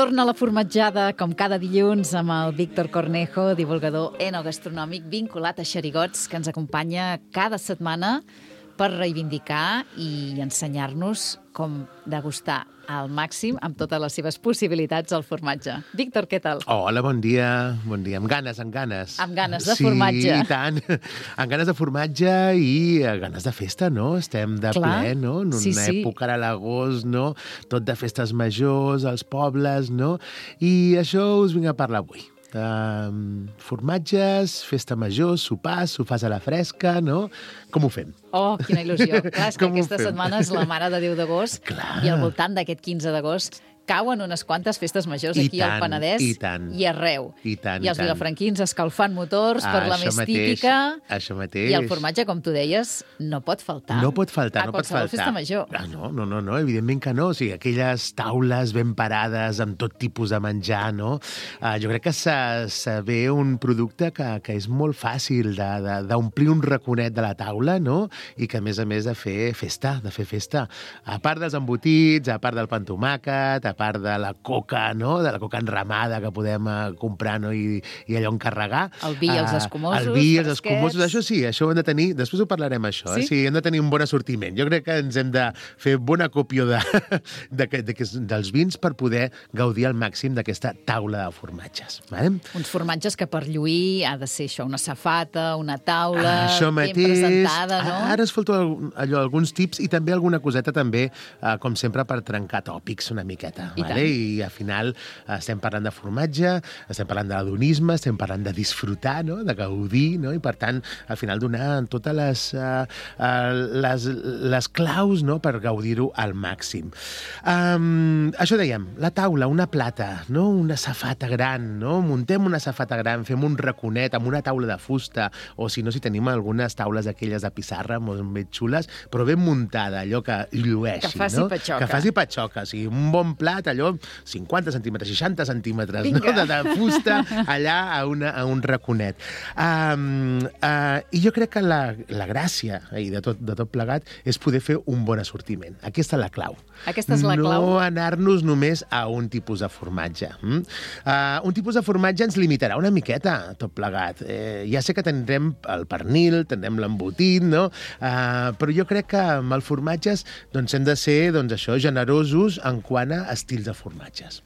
Torna la formatjada, com cada dilluns, amb el Víctor Cornejo, divulgador enogastronòmic vinculat a Xerigots, que ens acompanya cada setmana per reivindicar i ensenyar-nos com degustar al màxim, amb totes les seves possibilitats, el formatge. Víctor, què tal? Hola, bon dia. Bon dia. Amb ganes, amb ganes. Amb ganes de formatge. Sí, i tant. Amb ganes de formatge i ganes de festa, no? Estem de ple, no? En una època ara a l'agost, no? Tot de festes majors, als pobles, no? I això us vinc a parlar avui. Formatges, festa major, sopars a la fresca, no? Com ho fem? Oh, quina il·lusió. Clar, és que aquesta setmana és la Mare de Déu d'agost i al voltant d'aquest 15 d'agost cauen unes quantes festes majors aquí al Penedès i arreu. I els vilafranquins escalfant motors per la més típica. Això mateix. I el formatge, com tu deies, no pot faltar. No pot faltar, no pot faltar. A qualsevol festa major. No, evidentment que no. O sigui, aquelles taules ben parades amb tot tipus de menjar, no? Jo crec que se ve un producte que és molt fàcil d'omplir un raconet de la taula, no? I que, a més de fer festa, A part dels embotits, a part del pa amb tomàquet, a part de la coca, no? De la coca enramada que podem comprar, no? I allò encarregar. El vi i els escumosos. El vi i els escumosos, això sí, això ho hem de tenir, després ho parlarem això, sí? Sí, hem de tenir un bon assortiment. Jo crec que ens hem de fer bona còpia dels vins per poder gaudir al màxim d'aquesta taula de formatges. Vale? Uns formatges que per lluir ha de ser això, una safata, una taula ben presentada, no? Ara es falta alguns tips i també alguna coseta també, com sempre, per trencar tòpics una miqueta. I al final estem parlant de formatge, estem parlant de l'adonisme, estem parlant de disfrutar, no? De gaudir, no? I per tant, al final donar totes les claus, no? Per gaudir-ho al màxim. Això dèiem, la taula, una plata, no? Una safata gran, no? Muntem una safata gran, fem un raconet amb una taula de fusta, o si no, si tenim algunes taules aquelles de pissarra molt ben xules, però ben muntada, allò que llueixi, que faci patxoca. Que faci patxoca, o sigui, un bon plat, allò, 50 centímetres, 60 centímetres, no? De fusta, allà a un raconet. I jo crec que la gràcia de tot plegat és poder fer un bon assortiment. Aquesta és la clau. Aquesta és la clau. No anar-nos només a un tipus de formatge. Un tipus de formatge ens limitarà una miqueta, tot plegat. Ja sé que tindrem el pernil, tindrem l'embotit, no? Però jo crec que amb els formatges hem de ser, generosos en quant a estils de formatges.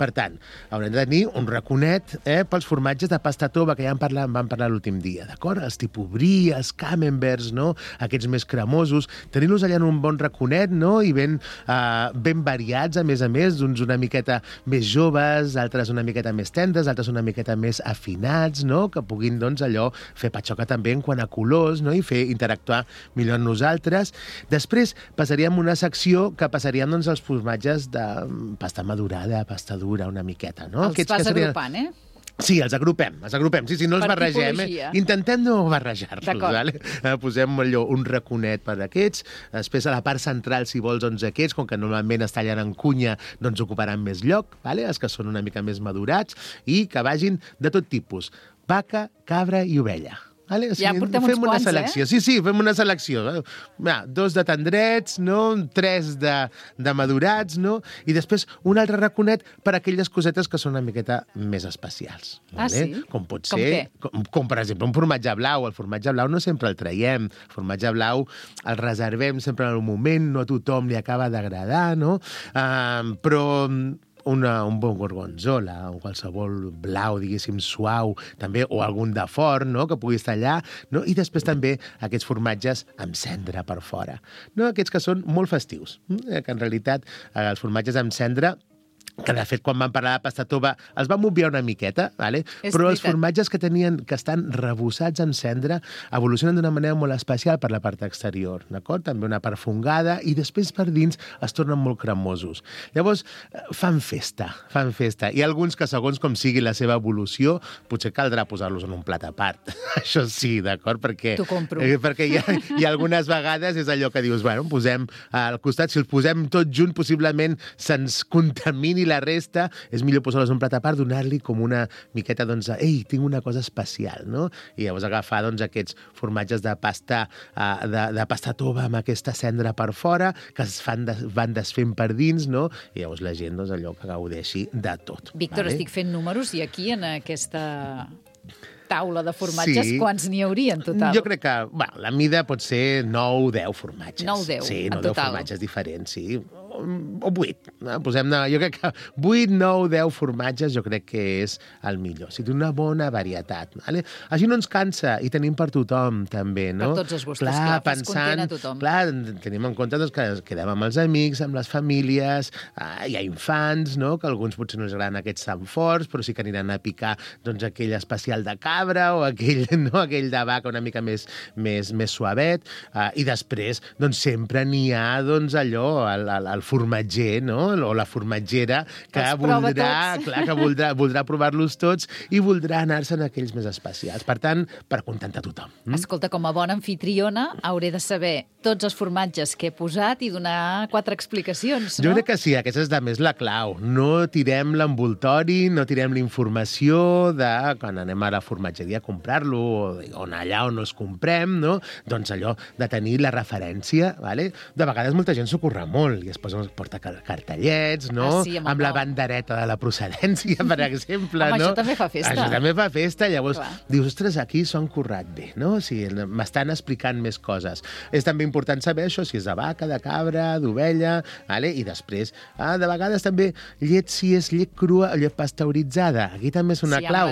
Per tant, haurem de tenir un raconet pels formatges de pasta tova, que ja vam parlar l'últim dia, d'acord? Els tipus brie, els camemberts, no? Aquests més cremosos, tenir-los allà en un bon raconet, no? I ben variats, a més, d'uns una miqueta més joves, altres una miqueta més tendres, altres una miqueta més afinats, no? Que puguin, allò, fer patxoca també en quant a colors, no? I fer interactuar millor amb nosaltres. Després passaríem una secció que passaríem, els formatges de pasta madurada, pasta dura, una miqueta, no? Els vas agrupant, Sí, els agrupem. Sí, no els barregem. Intentem no barrejar-los. Vale? Posem un raconet per aquests. Després, a la part central, si vols, aquests, com que normalment es tallen en cunya, ocuparan més lloc, vale? Els que són una mica més madurats, i que vagin de tot tipus. Vaca, cabra i ovella. Vale? O sigui, ja portem uns quants, selecció. Sí, fem una selecció. 2 de tendrets, no? 3 de madurats, no? I després un altre raconet per aquelles cosetes que són una miqueta més especials. Vale? Sí? Com pot ser, com per exemple un formatge blau. El formatge blau no sempre el traiem. El formatge blau el reservem sempre en el moment, no a tothom li acaba d'agradar, no? Però un bon gorgonzola, o qualsevol blau, diguéssim, suau, també, o algun de forn, no?, que pugui estar allà, no? I després també aquests formatges amb cendra per fora, no? Aquests que són molt festius, que en realitat els formatges amb cendra, que de fet quan vam parlar de pasta tova els vam obviar una miqueta, vale? Però els formatges que estan rebossats en cendra evolucionen d'una manera molt especial per la part exterior, d'acord? També una part fungada, i després per dins es tornen molt cremosos. Llavors, fan festa. I alguns que, segons com sigui la seva evolució, potser caldrà posar-los en un plat a part. Això sí, d'acord? T'ho compro. Perquè hi ha algunes vegades és allò que dius, bueno, posem al costat, si els posem tots junts, possiblement se'ns contamini i la resta és millor posar-los en un plat a part, donar-li com una miqueta, doncs, ei, tinc una cosa especial, no? I llavors agafar, doncs, aquests formatges de pasta tova amb aquesta cendra per fora, que van desfent per dins, no? I llavors la gent, doncs, allò que gaudeixi de tot. Víctor, estic fent números i aquí, en aquesta taula de formatges, quants n'hi hauria en total? Jo crec que la mida pot ser 9-10 formatges. 9-10, sí, en 9-10 total. formatges diferents, sí. O 8. Posem-ne, jo crec que 8, 9, 10 formatges jo crec que és el millor. O sigui, una bona varietat. Vale? Així no ens cansa i tenim per tothom, també, no? Per tots els gustos, clar, fes content a tothom. Clar, tenim en compte doncs, que quedem amb els amics, amb les famílies, hi ha infants, no? Que alguns potser no els agraden aquests tan forts, però sí que aniran a picar doncs, aquell especial de cabra o aquell, no? Aquell de vaca una mica més suavet. I després, doncs, sempre n'hi ha doncs, allò, el formatger, no? O la formatgera que voldrà provar-los tots i voldrà anar-se en aquells més especials. Per tant, per acontentar tothom. Escolta, com a bona anfitriona, hauré de saber tots els formatges que he posat i donar 4 explicacions, no? Jo crec que sí, aquesta és de més la clau. No tirem l'envoltori, no tirem la informació de quan anem a la formatgeria a comprar-lo o allà on els comprem, no? Doncs allò de tenir la referència, ¿vale? De vegades molta gent s'ho curra molt i es porta cartellets, no? Sí, amb la bandereta de la procedència, per exemple, home, no? això també fa festa. Això també fa festa, llavors clar, dius, ostres, aquí s'ho han currat bé, no? O sigui, m'estan explicant més coses. És també important saber això, si és de vaca, de cabra, d'ovella, vale? I després, de vegades també llet, si és llet crua o llet pasteuritzada. Aquí també és una clau.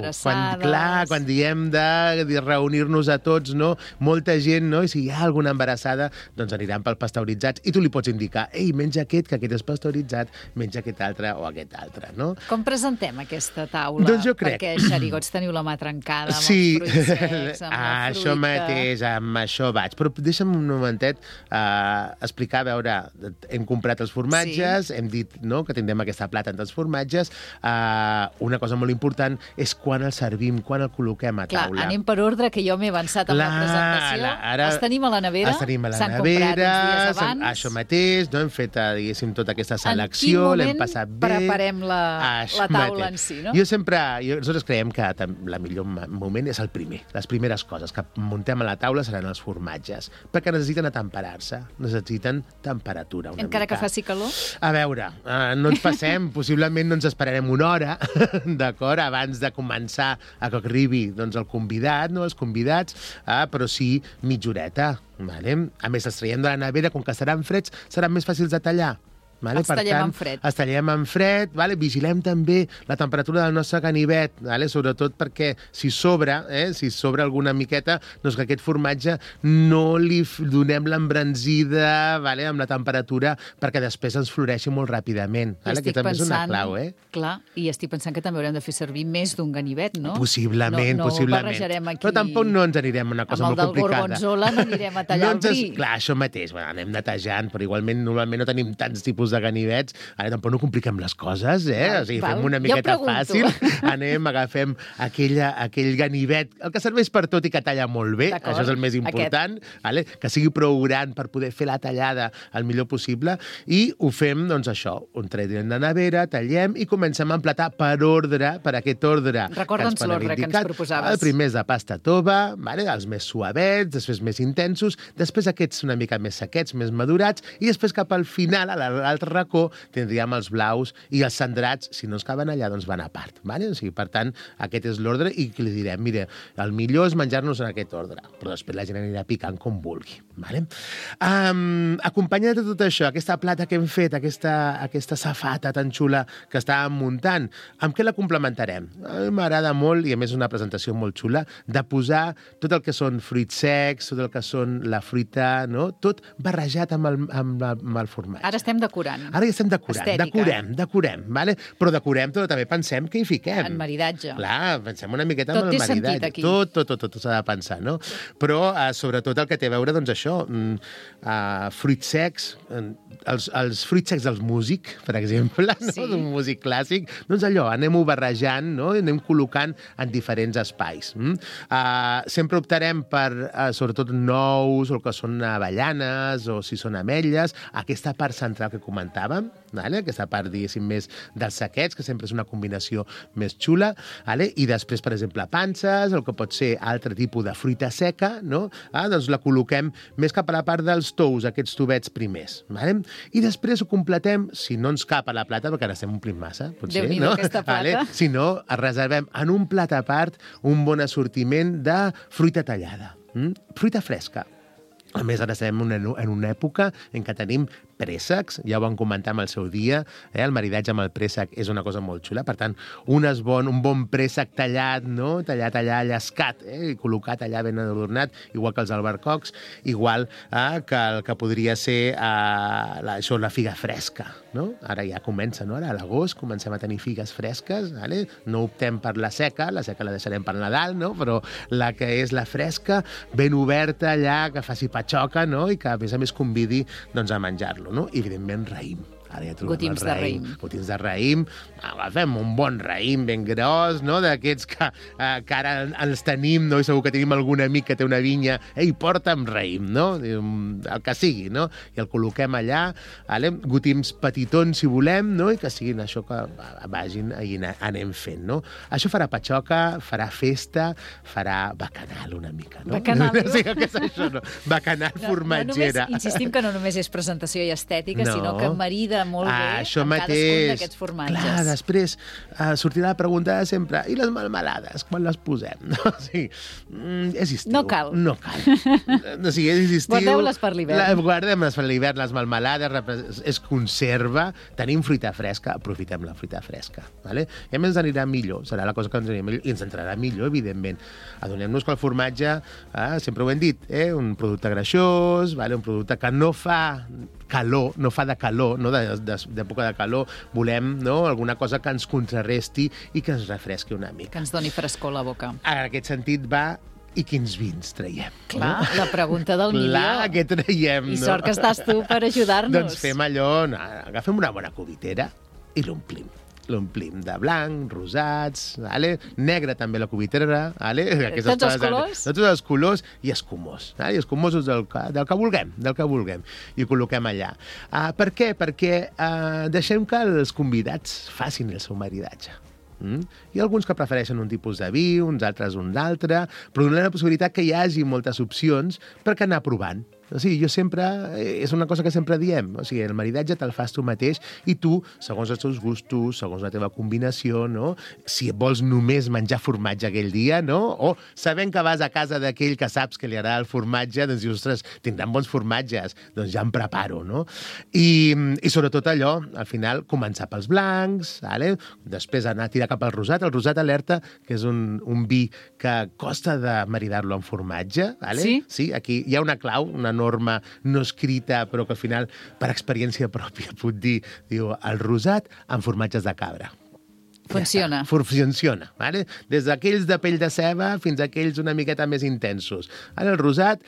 Quan diem de reunir-nos a tots, no? Molta gent, no? I si hi ha alguna embarassada, doncs aniran pel pasteuritzats i tu li pots indicar, ei, menja aquest, que aquest és pasteuritzat, menja aquest altre o aquest altre, no? Com presentem aquesta taula? Doncs jo crec. Perquè, xerigots, teniu la mà trencada amb els fruits secs, amb la fruita... Això mateix, amb això vaig. Però deixa'm un momentet explicar, a veure, hem comprat els formatges, hem dit, no?, que tindrem aquesta plata entre els formatges. Una cosa molt important és quan el servim, quan el col·loquem a taula. Clar, anem per ordre, que jo m'he avançat amb la presentació. Els tenim a la nevera, s'han comprat uns dies abans. Això mateix, no? Hem fet, diguéssim, tota aquesta selecció, l'hem passat bé. Preparem la taula en si, no? Nosaltres creiem que el millor moment és el primer. Les primeres coses que muntem a la taula seran els formatges, perquè necessiten atemperar-se, necessiten temperatura una Encara mica. Que faci calor? A veure, no ens passem, possiblement no ens esperarem una hora, d'acord, abans de començar a que arribi doncs, el convidat, no, els convidats, però sí mitja horeta. Vale? A més, els traiem de la nevera, com que seran freds, seran més fàcils de tallar. Vale? Els tallem en fred. Els tallem en fred, vale? Vigilem també la temperatura del nostre ganivet, vale? Sobretot perquè si sobra alguna miqueta, doncs que aquest formatge no li donem l'embranzida, vale? Amb la temperatura, perquè després ens floreixi molt ràpidament. Vale? Que també és una clau, Clar, i estic pensant que també haurem de fer servir més d'un ganivet, no? Possiblement. No barrejarem aquí... Però tampoc no ens anirem a una cosa molt complicada. Amb el del gorgonzola no anirem a tallar el bri. Clar, això mateix. Anem netejant, però igualment normalment no tenim tants tipus de ganivets. Ara tampoc no compliquem les coses, O sigui, fem una miqueta fàcil. Agafem aquell ganivet, el que serveix per tot i que talla molt bé, això és el més important, vale? Que sigui prou gran per poder fer la tallada el millor possible, i ho fem, doncs això, un traiem de nevera, tallem i comencem a emplatar per ordre, per aquest ordre. Recorda'ns l'ordre que ens proposaves. El primer és de pasta tova, vale? Els més suavets, després més intensos, després aquests una mica més sequets, més madurats, i després cap al final, a l'altre racó, tindríem els blaus i els centrats, si no ens caben allà, doncs van a part. Vale? O sigui, per tant, aquest és l'ordre i que li direm, mira, el millor és menjar-nos en aquest ordre, però després la gent anirà picant com vulgui. Vale? Acompanyat de tot això, aquesta plata que hem fet, aquesta safata tan xula que estàvem muntant, amb què la complementarem? A mi m'agrada molt, i a més és una presentació molt xula, de posar tot el que són fruits secs, tot el que són la fruita, no? Tot barrejat amb el formatge. Ara estem decorant. Ara ja estem decorem, vale? Però decorem, però també pensem què hi fiquem. En maridatge. Clar, pensem una miqueta en el maridatge. Tot té sentit aquí. Tot s'ha de pensar, no? Però sobretot el que té a veure, doncs això, fruits secs, els fruits secs dels músic, per exemple, no? Sí. D'un músic clàssic, doncs allò, anem-ho barrejant, no? I anem col·locant en diferents espais. Sempre optarem per, sobretot, nous, o el que són avellanes, o si són ametlles, aquesta part central que comentem comentàvem, vale? Aquesta part, diguéssim, més dels sequets, que sempre és una combinació més xula, vale? I després, per exemple, panses, el que pot ser altre tipus de fruita seca, no? Doncs la col·loquem més cap a la part dels tous, aquests tubets primers, vale? I després ho completem, si no ens cap a la plata, perquè ara estem omplint massa, potser, Déu-n'hi-do, no? aquesta plata. Vale? Si no, reservem en un plat a part un bon assortiment de fruita tallada, fruita fresca. A més, ara estem en una època en què tenim préssecs, ja ho vam comentar amb el seu dia, el maridatge amb el préssec és una cosa molt xula, per tant, un bon préssec tallat, no? Tallat allà, llescat, i col·locat allà ben adornat, igual que els albercocs, igual que el que podria ser això, la figa fresca, no? Ara ja comença, no? Ara a l'agost comencem a tenir figues fresques, vale? No optem per la seca la deixarem per Nadal, no? Però la que és la fresca, ben oberta allà, que faci patxoca, no? I que a més convidi doncs, a menjar-lo, no? I evidentment raïm. Ara ja trobem Gotims el raïm. Gotims de raïm. Agafem un bon raïm ben gros, no? D'aquests que ara els tenim, no? I segur que tenim algun amic que té una vinya. Ei, porta'm raïm, no? El que sigui, no? I el col·loquem allà. Vale? Gotims petitons, si volem, no? I que siguin això que vagin i anem fent, no? Això farà patxoca, farà festa, farà bacanal una mica, no? Bacanal. No sé què és això, no? Bacanal formatgera. Insistim que no només és presentació i estètica, sinó que marida molt bé això amb mateix. cadascun d'aquests formatges. Clar, després sortirà la pregunta de sempre, i les melmelades, quan les posem? No? Sí. És estiu. No cal. No cal. O sigui, és estiu. Guardeu-les per l'hivern. Guardem-les per l'hivern, les melmelades, és conserva, tenim fruita fresca, aprofitem la fruita fresca. Vale? I a més ens anirà millor, serà la cosa que ens anirà millor, i ens entrarà millor, evidentment. Adonem-nos que el formatge, sempre ho hem dit, un producte greixós, vale? Un producte que no fa calor, no fa de calor, no? D'època de calor, volem, no? Alguna cosa que ens contrarresti i que ens refresqui una mica. Que ens doni frescor a la boca. En aquest sentit va, i quins vins traiem? Clar, no? La pregunta del milió. Clar, què traiem, I sort que estàs tu per ajudar-nos. Doncs fem allò, agafem una bona cubitera i l'omplim. L'omplim de blanc, rosats, vale? Negre també la cubitera, vale? Tots els colors? Tots els colors i escumós. Vale? I escumosos del que vulguem. I ho col·loquem allà. Per què? Perquè deixem que els convidats facin el seu maridatge. Hi ha alguns que prefereixen un tipus de vi, uns altres un altre, però donem la possibilitat que hi hagi moltes opcions perquè anar provant. O sigui, jo sempre, és una cosa que sempre diem, o sigui, el maridatge te'l fas tu mateix i tu, segons els teus gustos, segons la teva combinació, no? Si vols només menjar formatge aquell dia, no? O sabent que vas a casa d'aquell que saps que li agrada el formatge, doncs dius, ostres, tindran bons formatges, doncs ja em preparo, no? I sobretot allò, al final, començar pels blancs, vale? Després anar a tirar cap al rosat. El rosat alerta, que és un vi que costa de maridar-lo amb formatge, vale? Sí? Sí, aquí hi ha una clau, una norma no escrita, però que al final, per experiència pròpia, puc dir, diu, el rosat amb formatges de cabra. Funciona. Ja funciona, vale? Des d'aquells de pell de ceba fins a aquells una miqueta més intensos. Ara el rosat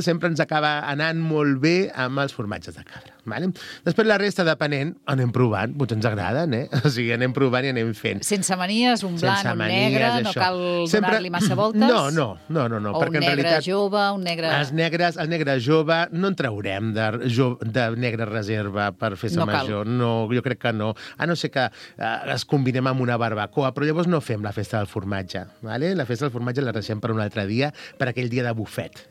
sempre ens acaba anant molt bé amb els formatges de cabra. Vale? Després la resta, depenent, anem provant, potser ens agraden, O sigui, anem provant i anem fent. Sense manies, un blanc, un negre, no cal donar-li massa voltes? No. O un negre jove, un negre... El negre jove no en traurem de negre reserva per festa major. No, jo crec que no. A no ser que es combinem amb una barbacoa, però llavors no fem la festa del formatge. Vale? La festa del formatge la deixem per un altre dia, per aquell dia de bufet.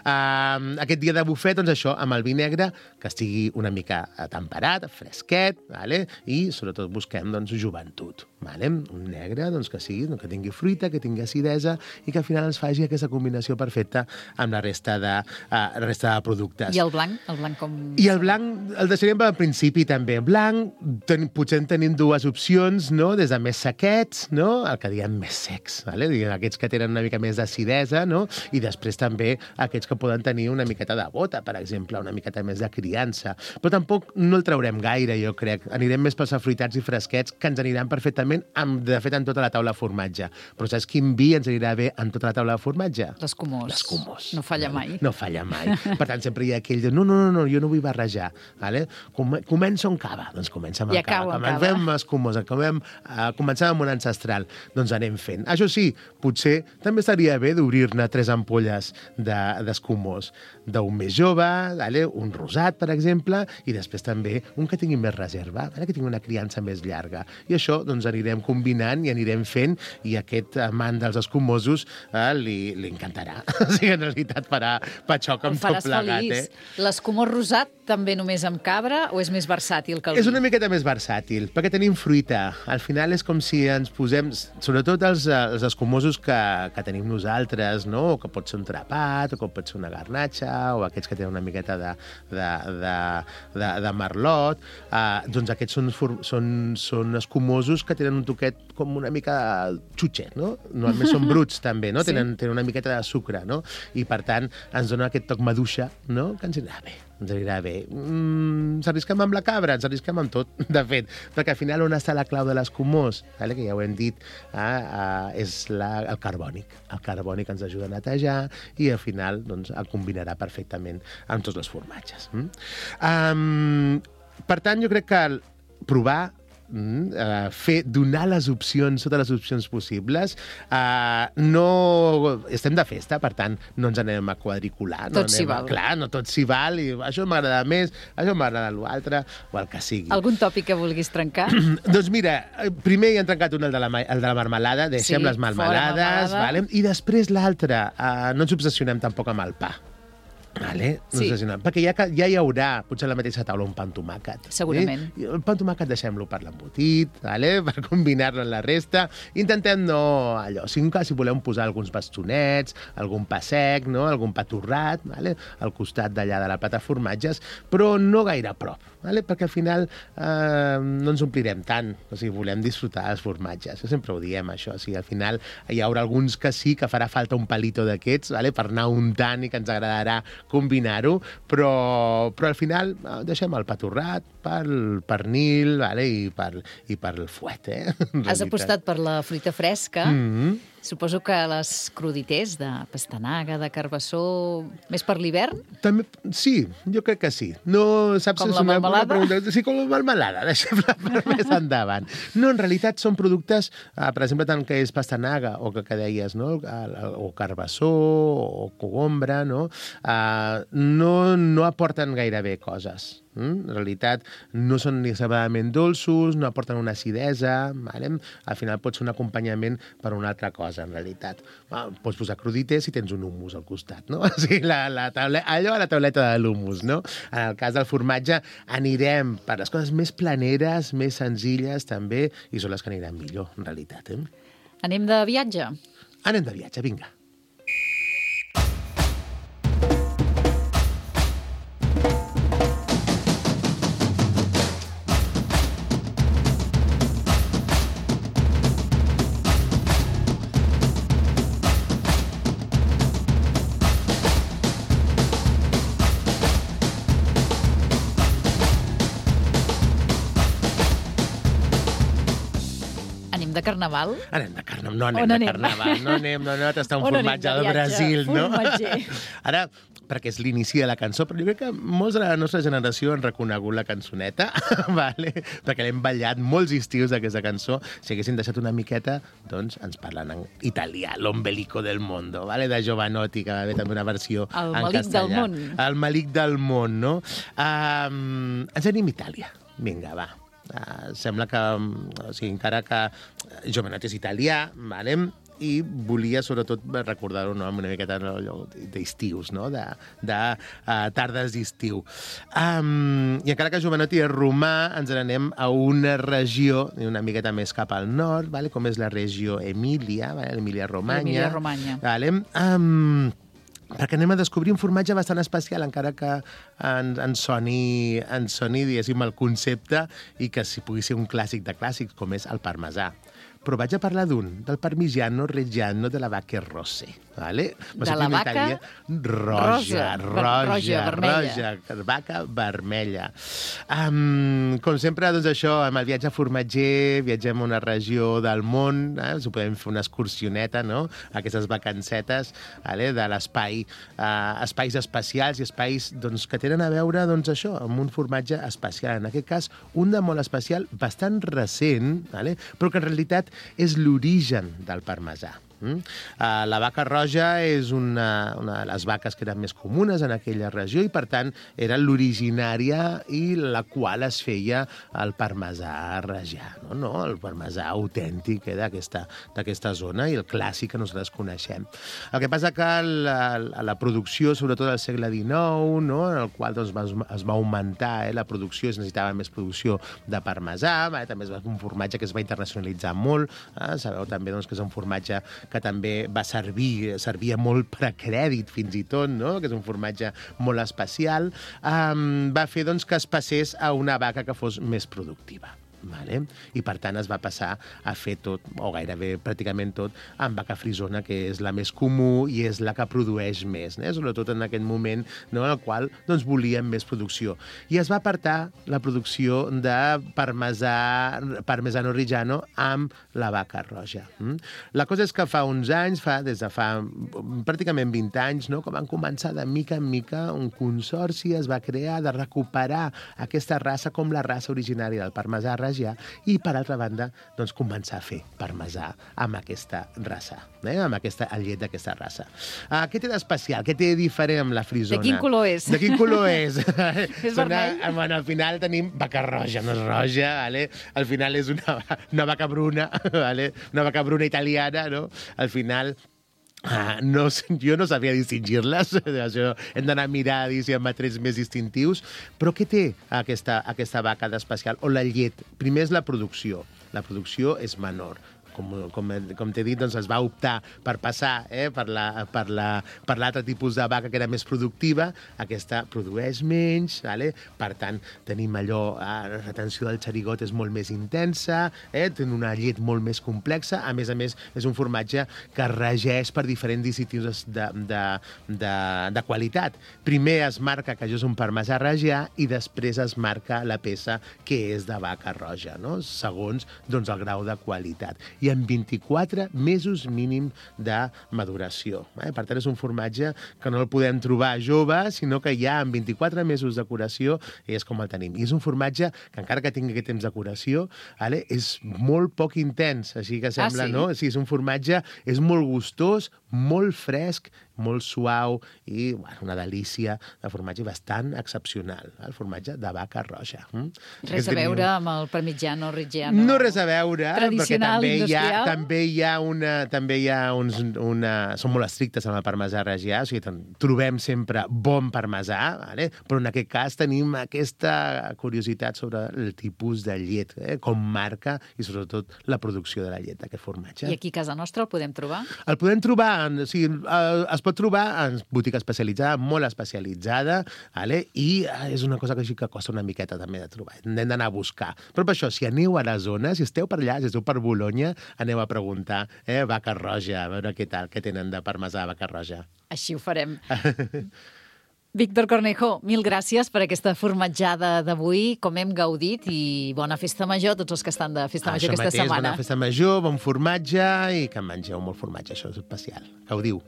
Aquest dia de bufet, doncs això, amb el vi negre, que estigui una mica temperat, fresquet, vale? I sobretot busquem doncs, joventut. Vale? Un negre doncs, que sigui, que tingui fruita, que tingui acidesa i que al final ens faci aquesta combinació perfecta amb la resta de productes. I el blanc? El blanc com... I el blanc el deixaríem al principi també. Blanc, potser en tenim dues opcions, no? Des de més sequets, no? El que diem més secs, vale? Aquests que tenen una mica més d'acidesa, no? I després també aquests que poden tenir una miqueta de bota, per exemple, una miqueta més de criança. Però tampoc no el traurem gaire, jo crec. Anirem més pels afruitats i fresquets, que ens aniran perfectament malament, de fet, en tota la taula de formatge. Però saps quin vi ens anirà bé en tota la taula de formatge? L'escumós. L'escumós. No falla mai. No falla mai. Per tant, sempre hi ha aquell de no, jo no vull barrejar. Vale? Comença amb cava. Doncs comença amb cava. Fem escumós. Comencem amb un ancestral. Doncs anem fent. Això sí, potser també estaria bé d'obrir-ne 3 ampolles d'escumós. D'un més jove, un rosat, per exemple, i després també un que tingui més reserva, que tingui una criança més llarga. I això doncs, anirem combinant i anirem fent, i aquest amant dels escumosos li encantarà. O sigui, en realitat farà patxoc amb tot plegat. L'escumós rosat també només amb cabra o és més versàtil que el vi? És una miqueta més versàtil, perquè tenim fruita. Al final és com si ens posem, sobretot els escumosos que tenim nosaltres, no? O que pot ser un trapat, o que pot ser una garnatxa, o aquests que tenen una miqueta de merlot, doncs aquests són escumosos que tenen un toquet com una mica xutxet, no? Normalment són bruts, també, no? Sí. Tenen una miqueta de sucre, no? I, per tant, ens dona aquest toc maduixa, no? Que ens anirà bé. Ens anirà bé. Ens arrisquem amb la cabra, ens arrisquem amb tot, de fet, perquè al final on està la clau de l'escumós, que ja ho hem dit, és el carbònic. El carbònic ens ajuda a netejar i al final doncs, el combinarà perfectament amb tots els formatges. Per tant, jo crec que provar, donar les opcions, totes les opcions possibles. No estem de festa, per tant, no ens anem a quadricular. Tot s'hi val. Clar, no tot s'hi val, i això m'agrada més, això m'agrada l'altre, o el que sigui. Algun tòpic que vulguis trencar? Doncs mira, primer ja hem trencat el de la marmelada, deixem les marmelades, vale? I després l'altre, no ens obsessionem tampoc amb el pa. Vale? Sí. Perquè ja hi haurà, potser a la mateixa taula, un pa amb tomàquet. Segurament. El pa amb tomàquet deixem-lo per l'embotit, per combinar-lo amb la resta. Intentem no allò. Si volem posar alguns bastonets, algun pa sec, no? Algun pa torrat, al costat d'allà de la plata de formatges, però no gaire a prop, perquè al final no ens omplirem tant. O sigui, volem disfrutar dels formatges. Sempre ho diem, això. O sigui, al final hi haurà alguns que sí, que farà falta un palito d'aquests, per anar untant i que ens agradarà combinar-ho, però al final deixem el pa torrat, pel pernil i pel fuet. Has apostat per la fruita fresca. Suposo que les cruditers de pastanaga, de carbassó, més per l'hivern? També, sí, jo crec que sí. No, saps, com la melmelada? Sí, com la melmelada, deixem-la per més endavant. No, en realitat són productes, per exemple, tant que és pastanaga o que deies, no? O carbassó o cogombra, no? No aporten gairebé coses. En realitat no són ni extremadament dolços, no aporten una acidesa, al final pot ser un acompanyament per una altra cosa, en realitat. Pots posar crudités si tens un hummus al costat, no? O sigui, allò a la tauleta de l'hummus, no? En el cas del formatge anirem per les coses més planeres, més senzilles també, i són les que aniran millor, en realitat. Anem de viatge? Anem de viatge, vinga. De carnaval? Anem de carnaval. No anem de carnaval. No anem a tastar un formatge del Brasil, no? Ara, perquè és l'inici de la cançó, però jo crec que molts de la nostra generació han reconegut la cançoneta, perquè l'hem ballat molts estius d'aquesta cançó. Si haguessin deixat una miqueta, doncs ens parlen en italià, l'ombelico del mondo, de Jovanotti, que va haver també una versió en castellà. El malic del món. El malic del món, no? Ens anem a Itàlia. Vinga, va. Sembla que, encara que Jovanotti és italià, i volia sobretot recordar-ho amb una miqueta d'estius, de tardes d'estiu. I encara que Jovanotti és romà, ens n'anem a una regió una miqueta més cap al nord, com és la regió Emília, l'Emília-Romanya. Perquè anem a descobrir un formatge bastant especial, encara que ens soni, diguéssim, el concepte, i que si pugui ser un clàssic de clàssics, com és el parmesà. però vaig a parlar del Parmigiano Reggiano de la Vaca Rosse. Vale? De la vaca roja, vermella. Vaca vermella. Com sempre, doncs això, amb el viatge formatger, viatgem a una regió del món, ho podem fer una excursioneta, no? Aquestes vacancetes, vale? De l'espai, espais espacials i espais doncs, que tenen a veure doncs, això, amb un formatge especial. En aquest cas, un de molt especial, bastant recent, vale? Però que en realitat és l'origen del parmesà. La vaca roja és una de les vaques que eren més comunes en aquella regió i, per tant, era l'originària i la qual es feia el parmesà reggiano, no? El parmesà autèntic d'aquesta zona i el clàssic que nosaltres coneixem. El que passa que la producció, sobretot al segle XIX, no? En el qual doncs, es va augmentar la producció, es necessitava més producció de parmesà, també és un formatge que es va internacionalitzar molt, sabeu també doncs, que és un formatge que també servia molt per a crèdit, fins i tot, no? Que és un formatge molt especial, va fer doncs, que es passés a una vaca que fos més productiva. Vale? I, per tant, es va passar a fer tot, o gairebé pràcticament tot, amb vaca frisona, que és la més comú i és la que produeix més, sobretot en aquest moment, no? En el qual doncs, volíem més producció. I es va apartar la producció de Parmesano Reggiano amb la vaca roja. La cosa és que fa uns anys, des de fa pràcticament 20 anys, no? Que van començar de mica en mica un consorci, es va crear de recuperar aquesta raça com la raça originària del parmesà reggià i, per altra banda, doncs, començar a fer parmesà amb aquesta raça, amb el llet d'aquesta raça. Què té d'especial? Què té de diferent amb la frisona? De quin color és? De quin color és? És vermell? Bueno, al final tenim vaca roja, no és roja, vale? Al final és una vaca bruna, vale? Una vaca bruna italiana, no? Al final... jo no sabia distingir-les, hem d'anar a mirar si hi ha trets més distintius, però què té aquesta vaca d'especial? O la llet? Primer és la producció. La producció és menor. Com t'he dit, doncs es va optar per passar per l'altre tipus de vaca que era més productiva. Aquesta produeix menys, vale? Per tant, tenim allò, la retenció del xerigot és molt més intensa, té una llet molt més complexa. A més, és un formatge que es regeix per diferents distintius de qualitat. Primer es marca que això és un parmesà reggià i després es marca la peça que és de vaca roja, no? Segons doncs, el grau de qualitat. I en 24 mesos mínim de maduració. Per tant, és un formatge que no el podem trobar jove, sinó que ja en 24 mesos de curació és com el tenim. I és un formatge que, encara que tingui aquest temps de curació, és molt poc intens, així que sembla, sí? No? Sí, és un formatge, és molt gustós, molt fresc, molt suau i una delícia de formatge bastant excepcional, el formatge de vaca roja. Res a veure amb el Parmigiano Reggiano. No res a veure, tradicional, perquè industrial. també hi ha són molt estrictes amb el parmesà reggià, o sigui, trobem sempre bon parmesà, vale? Però en aquest cas tenim aquesta curiositat sobre el tipus de llet, com marca i sobretot la producció de la llet d'aquest formatge. I aquí a casa nostra el podem trobar? El podem trobar, es pot trobar en botiga especialitzada, molt especialitzada, vale? I és una cosa que costa una miqueta també de trobar. Hem d'anar a buscar. Però per això, si aneu a la zona, si esteu per allà, si esteu per Bolonya, aneu a preguntar, vaca roja, a veure què tal, què tenen de parmesà vaca roja. Així ho farem. Víctor Cornejo, mil gràcies per aquesta formatjada d'avui, com hem gaudit, i bona festa major a tots els que estan de festa major aquesta setmana. Bona festa major, bon formatge i que mengeu molt formatge, això és especial. Gaudiu.